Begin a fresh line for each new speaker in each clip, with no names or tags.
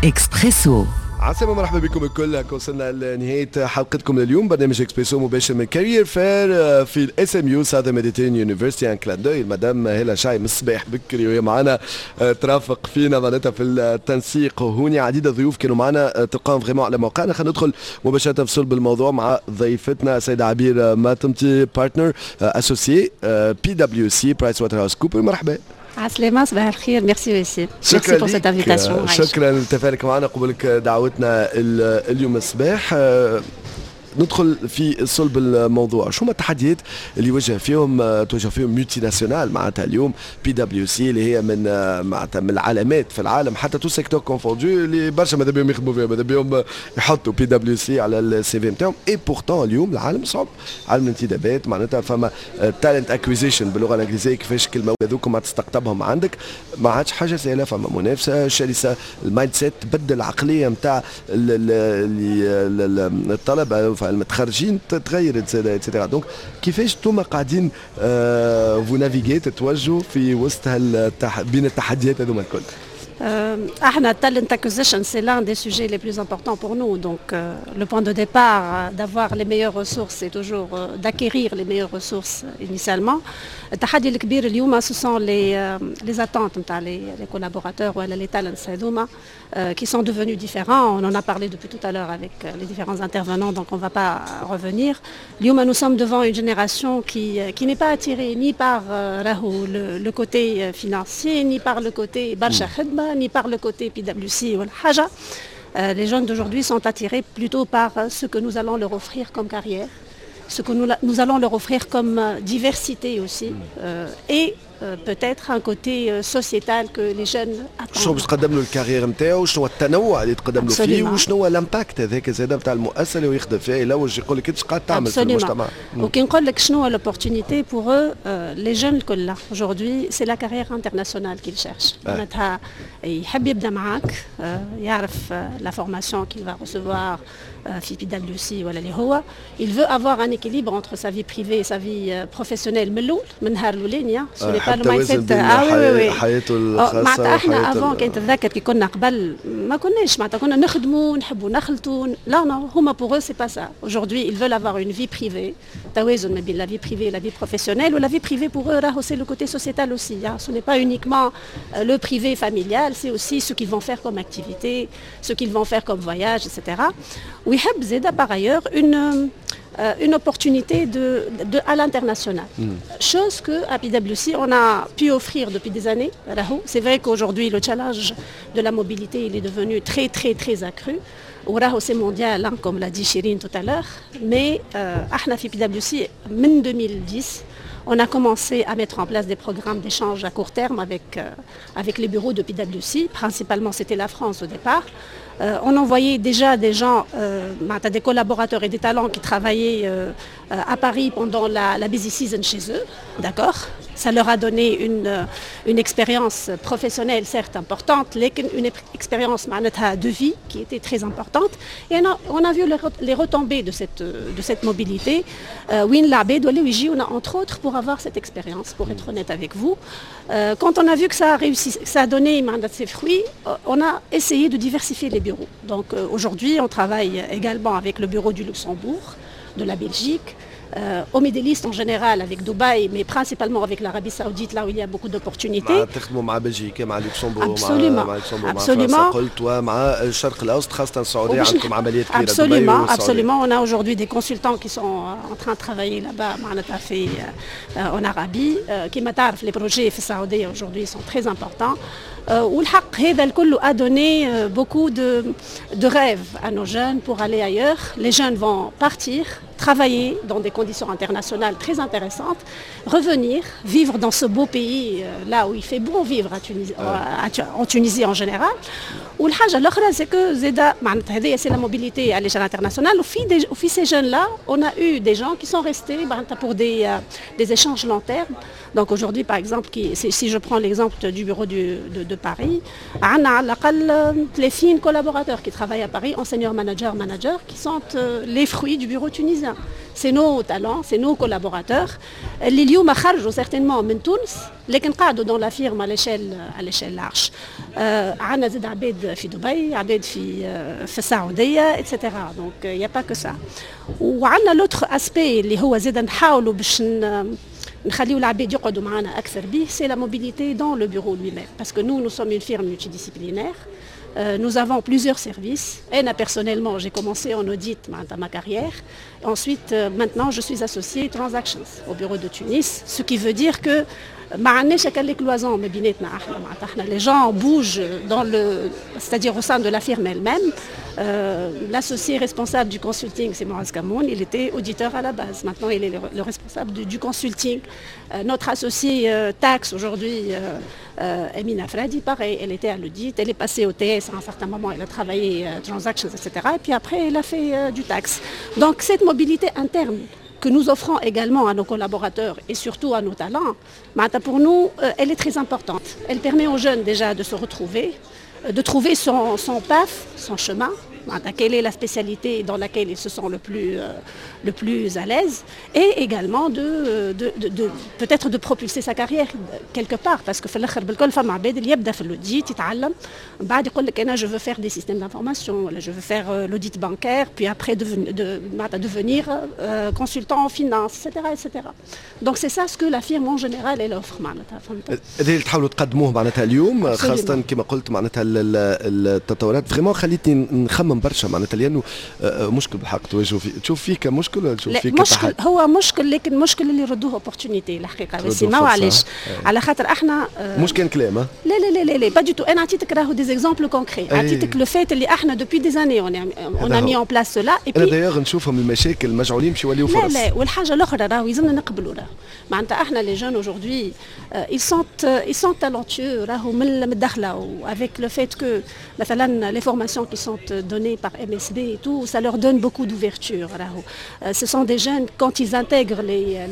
اكسبريسو.
عسلامة، مرحبا بكم الكل. وصلنا لنهاية حلقتكم لليوم، برنامج اكسبريسو مباشر من Career Fair في ال SMU، Southern Mediterranean University. un clin d'œil مدام هلا شاي من الصباح بكري وهي معنا ترافق فينا معناتها في التنسيق هوني. عديد الضيوف كانوا معنا، تلقاهم vraiment على موقعنا. خلينا ندخل مباشرة في صلب الموضوع مع ضيفتنا السيدة عبير ماتمتي، partner associé PwC، PricewaterhouseCoopers. مرحبا.
عسلامة، صباح الخير، merci وسيم، merci pour cette invitation.
شكرا لتفاعلك معنا، قبولك دعوتنا اليوم الصباح. ندخل في صلب الموضوع، شو هما التحديات اللي يواجه فيهم تواجه فيهم multinationale معناتها اليوم PwC اللي هي من معناتها من العلامات في العالم، حتى tous secteurs confondus، اللي برشا ماذا بهم يخدموا فيها، ماذا بهم يحطوا PwC على ال CV نتاعهم؟ et pourtant اليوم العالم صعب، عالم الانتدابات معناتها فما talent acquisition باللغة الانجليزيه، كيفاش كلمة هذوك ما تستقطبهم عندك ما عادش حاجة سهله، فما منافسه شرسه، ال mindset تبدل، العقلية نتاع الطلبة المتخرجين تغيرت et cetera. donc كيفاش انتم قاعدين vous naviguez، تتوجهوا في وسط بين التحديات هذوما الكل؟
احنا talent acquisition، c'est l'un des sujets les plus importants pour nous. Donc le point de départ d'avoir les meilleures ressources، c'est toujours d'acquérir les meilleures ressources initialement. التحدي الكبير اليوم ce sont les attentes نتاع les collaborateurs ولا les talents هذوما qui sont devenus différents. On en a parlé depuis tout à l'heure avec les différents intervenants، donc on ne va pas revenir. اليوم nous sommes devant une génération qui n'est pas attirée ni par راهو le côté financier، ni par le côté برشا خدمة، ni par le côté PwC ولا حاجة. Les jeunes d'aujourd'hui sont attirés plutôt par ce que nous allons leur offrir comme carrière، ce que nous allons leur offrir comme diversité aussi، et peut-être un côté sociétal que les jeunes attendent.
شنو باش تقدم له ال carrière نتاعو، شنو التنوع اللي تقدم له فيه، وشنو هو ال impact هذاك زاد نتاع المؤسسة اللي هو يخدم فيها، يلوج يقول لك انت قاعد تعمل في المجتمع.
وكي نقول لك شنو l'opportunité pour eux، les jeunes الكل aujourd'hui، c'est la carrière internationale qu'ils cherchent. معناتها يحب يبدا معاك، يعرف la formation qu'il va recevoir في PwC ولا اللي هو il veut avoir un équilibre entre sa vie privée et sa vie professionnelle من الاول، من نهار الاولاني. ce n'est pas le mindset.
اه oui oui، حياته الخاصه.
معناتها احنا avant كان تتذكر كي كنا قبل ما كناش معناتها كنا نخدموا نحبوا نخلطوا. لا non، هما pour eux c'est pas ça. aujourd'hui ils veulent avoir une vie privée، توازن ما بين la vie privée et la vie professionnelle. و la vie privée pour eux راهو c'est le côté sociétal aussi، hein. ce n'est pas uniquement le privé familial، c'est aussi ce qu'ils vont faire comme activité، ce qu'ils vont faire comme voyage، etc. ويحب زاده par ailleurs une opportunité à l'international. Chose que à PwC on a pu offrir depuis des années. C'est vrai qu'aujourd'hui le challenge de la mobilité، il est devenu très très très accru. وراهو c'est mondial، hein، comme l'a dit Chirine tout à l'heure. Mais احنا في PwC من 2010 on a commencé à mettre en place des programmes d'échange à court terme avec les bureaux de PwC. Principalement، c'était la France au départ. On envoyait déjà des gens، des collaborateurs et des talents qui travaillaient à Paris pendant la busy season chez eux, d'accord؟ Ça leur a donné une expérience professionnelle certes importante، لكن une expérience de vie qui était très importante. Et on a vu les retombées de cette mobilité. وين العباد ولاو يجيونا entre autres pour avoir cette expérience، pour être honnête avec vous. Quand on a vu que ça a réussi، que ça a donné ses fruits، on a essayé de diversifier les bureaux. Donc aujourd'hui، on travaille également avec le bureau du Luxembourg، de la Belgique، au Middle East en général avec Dubaï، mais principalement avec l'Arabie Saoudite، là où il y a beaucoup d'opportunités.
مع تخدموا مع بلجيكا، مع لوكسمبورغ؟
Absolument.
مع لوكسمبورغ، مع
Absolument.
فرنسا قلت، ومع الشرق الاوسط، خاصة السعوديه، عندكم عمليات كبيره.
Absolument، absolument. On a aujourd'hui des consultants qui sont en train de travailler là-bas، معناتها في en Arabie. كما تعرف les projets في السعودية aujourd'hui sont très importants. والحق هذا الكل a donné beaucoup de rêves à nos jeunes pour aller ailleurs. Les jeunes vont partir, travailler dans des conditions internationales très intéressantes، revenir، vivre dans ce beau pays، là où il fait bon vivre à Tunisie، en Tunisie en général. والحاجة الأخرى c'est que زادا معناتها هذه c'est la mobilité à l'échelle internationale. وفي ces jeunes-là، on a eu des gens qui sont restés معناتها pour des échanges long terme. Donc aujourd'hui par exemple، si je prends l'exemple du bureau de de Paris. عندنا على الأقل 30 collaborateurs qui travaillent à Paris, en senior manager, manager, qui sont les fruits du bureau tunisien. C'est nos talents, c'est nos collaborateurs. اللي اليوم خرجوا certainement من تونس لكن قعدوا dans la firme à l'échelle large. عندنا زاد عباد في دبي، عباد في السعودية، etc. Donc il y a pas que ça. وعندنا l'autre aspect اللي هو زاد نحاولوا باش نخليو العباد يقعدوا معنا اكثر به، c'est la mobilité dans le bureau lui-même, parce que nous, nous sommes une firme multidisciplinaire. Nous avons plusieurs services. Et personnellement, j'ai commencé en audit dans ma carrière. Ensuite, maintenant, je suis associée Transactions au bureau de Tunis, ce qui veut dire que ما عندناش هكا les cloisons ما بيناتنا احنا. معناتها احنا les gens bougent dans le c'est-à-dire au sein de la firme elle-même. L'associé responsable du consulting, c'est Moaz Kamoun, il était auditeur à la base. Maintenant, il est le responsable du consulting. Notre associé taxe aujourd'hui, Emina Fradi, pareil, elle était à l'audit, elle est passée au TS à un certain moment, elle a travaillé transactions, etc. Et puis après, elle a fait du taxe. Donc cette mobilité interne que nous offrons également à nos collaborateurs et surtout à nos talents, معناتها pour nous, elle est très importante. Elle permet aux jeunes déjà de se retrouver, de trouver son path, son chemin, معناتها quelle est la spécialité dans laquelle ils se sentent le plus à l'aise, et également de peut-être de propulser sa carrière quelque part, parce que في الاخر بالكل فما عباد اللي يبدا في l'audit يتعلم، من بعد يقول لك انا je veux faire des systèmes d'information ولا je veux faire l'audit bancaire, puis après معناتها devenir consultant en finance, etc., etc. Donc c'est ça ce que la firme en général, elle offre معناتها، فهمت؟
هذا اللي تحاولوا تقدموه معناتها اليوم.
Absolument.
خاصة كما قلت معناتها التطورات vraiment خليتني نخمم برشا معناتها، لانه مشكل بالحق تواجهوا فيه، تشوف فيه كمشكل ولا تشوف
لا
فيه
مشكل
كتحدي؟
هو مشكل، لكن مشكل اللي يردوه opportunité الحقيقه.
تردوه
بس ما
فرصة.
وعلاش؟ على خاطر احنا
مش كان كلام ها؟
لا لا لا لا لا، pas du tout. انا عطيتك راهو des exemples concrets، عطيتك le fait اللي احنا depuis des années on
هذا
a mis
هو.
en place cela et
انا d'ailleurs نشوفهم المشاكل مجعولين باش يوليو
لا.
فرص.
لا، والحاجه الاخرى راهو يلزمنا نقبلوا، راهو معناتها احنا les jeunes aujourd'hui, ils sont talentueux راهو من الدخله، و avec le fait que مثلا les formations qui sont données par MSB et tout, ça leur donne beaucoup d'ouverture راهو. Ce sont des jeunes, quand ils intègrent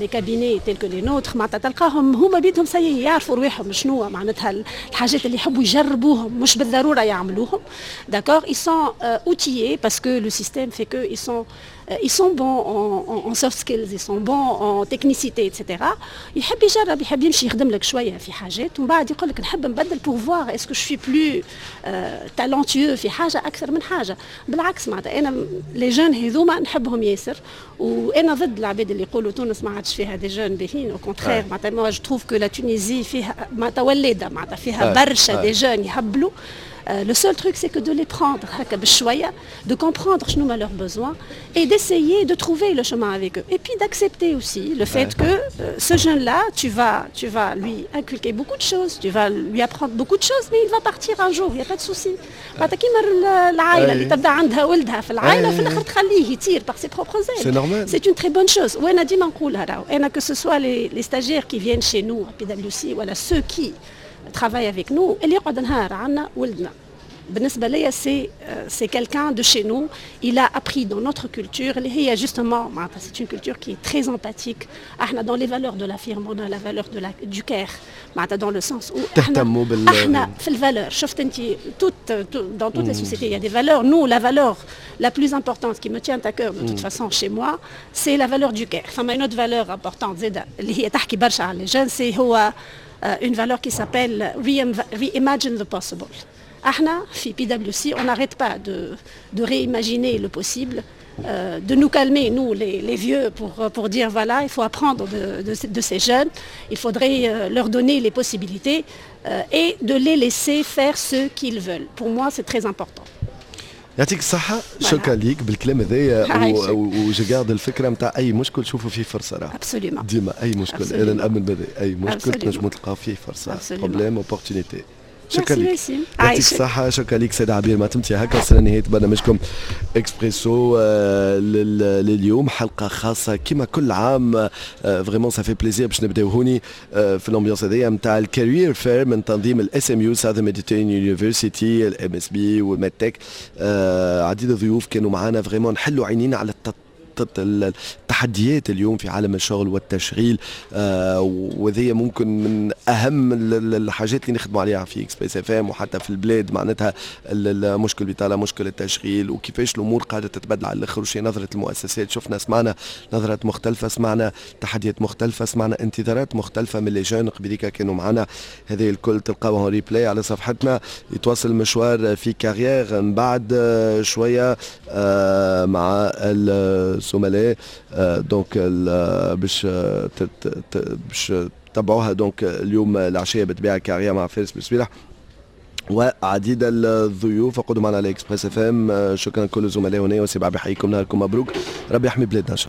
les cabinets tels que les nôtres, معناتها تلقاهم هما بيدهم ça y est يعرفوا رواحهم شنو معناتها الحاجات اللي يحبوا يجربوهم، مش بالضروره يعملوهم، d'accord؟ Ils sont outillés parce que le système fait que ils sont bons en soft skills, ils sont bons en technicité, etc. يحب يجرب، يحب يمشي يخدم لك شويه في حاجات ومن بعد يقول لك نحب نبدل pour voir est-ce que je suis plus talentueux في حاجه اكثر من حاجه. بالعكس، معناتها انا les jeunes هذوما نحبهم ياسر، وانا ضد العباد اللي يقولوا تونس ما عادش فيها des jeunes باهين. Au contraire، معناتها moi, je trouve que la Tunisie فيها معناتها ولاده، معناتها فيها برشا des jeunes يهبلوا. Le seul truc, c'est que de les prendre هكا بشوية, de comprendre شنو هما leurs besoins et d'essayer de trouver le chemin avec eux. Et puis d'accepter aussi le fait que ce jeune-là, tu vas lui inculquer beaucoup de choses, tu vas lui apprendre beaucoup de choses, mais il va partir un jour, il n'y a pas de souci. معناتها كيما العائلة اللي تبدا عندها ولدها في العائلة، في الآخر تخليه يطير par ses propres ailes.
C'est normal.
C'est une très bonne chose. وانا ديما نقولها راهو انا، que ce soit les stagiaires qui viennent chez nous à PwC ولا ceux qui travaillent avec nous، اللي يقعد نهار عندنا ولدنا. بالنسبة ليا c'est quelqu'un de chez nous, il a appris dans notre culture اللي هي justement معناتها c'est une culture qui est très empathique. احنا dans les valeurs de la firme, on a la valeur du care، معناتها dans le sens où احنا
تهتموا بال
احنا في ال valeurs، شفت انت dans toutes les sociétés, il y a des valeurs. Nous, la valeur la plus importante qui me tient à cœur de toute façon chez moi, c'est la valeur du care. فما une autre valeur importante زادة اللي هي تحكي برشا على les jeunes، c'est هو une valeur qui s'appelle reimagine the possible. احنا في PwC, on n'arrête pas de réimaginer le possible, de nous calmer, nous, les vieux, pour dire voilà, il faut apprendre de ces jeunes, il faudrait leur donner les possibilités et de les laisser faire ce qu'ils veulent. Pour moi, c'est très important.
يعطيك الصحة، شكرا ليك بالكلام هذايا.
عايشك.
و je garde الفكرة نتاع أي مشكل شوفوا فيه فرصة راه.
Absolument.
ديما أي مشكل، أنا نأمن بهذا، أي مشكل تنجموا تلقاو فيه فرصة.
Absolument.
Problème, opportunité. شكرا لك.
وسيم.
يعطيك
عايشك.
الصحة، شكرا لك سيدة عبير معتمتي. هكا وصلنا لنهاية برنامجكم اكسبريسو لليوم، حلقة خاصة كما كل عام. Vraiment, ça fait plaisir باش نبداو هوني في l'ambiance هذيا نتاع ال Career Fair من تنظيم ال SMU, Southern Mediterranean University، ال MSB وال MedTech. عديد الضيوف كانوا معنا، vraiment نحلوا عينينا على خريطة التحديات اليوم في عالم الشغل والتشغيل، وهذه ممكن من اهم الحاجات اللي نخدموا عليها في Express FM وحتى في البلاد، معناتها المشكل البطاله، مشكل التشغيل، وكيفاش الامور قاعدة تتبدل على الاخر، وشي نظره المؤسسات. شفنا، سمعنا نظرات مختلفه، سمعنا تحديات مختلفه، سمعنا انتظارات مختلفة من les jeunes قبليك كانوا معنا. هذه الكل تلقاوها replay على صفحتنا. يتواصل المشوار في Carrière من بعد شوية مع الزملاء، donc باش تبعوها donc اليوم العشية بالطبيعة Carrière مع فارس بسويلح وعديد الضيوف. اقعدوا معنا على Express FM. شكرا كل الزملاء هنا وسبع بحييكم، نهاركم مبروك، ربي يحمي بلادنا ان شاء الله.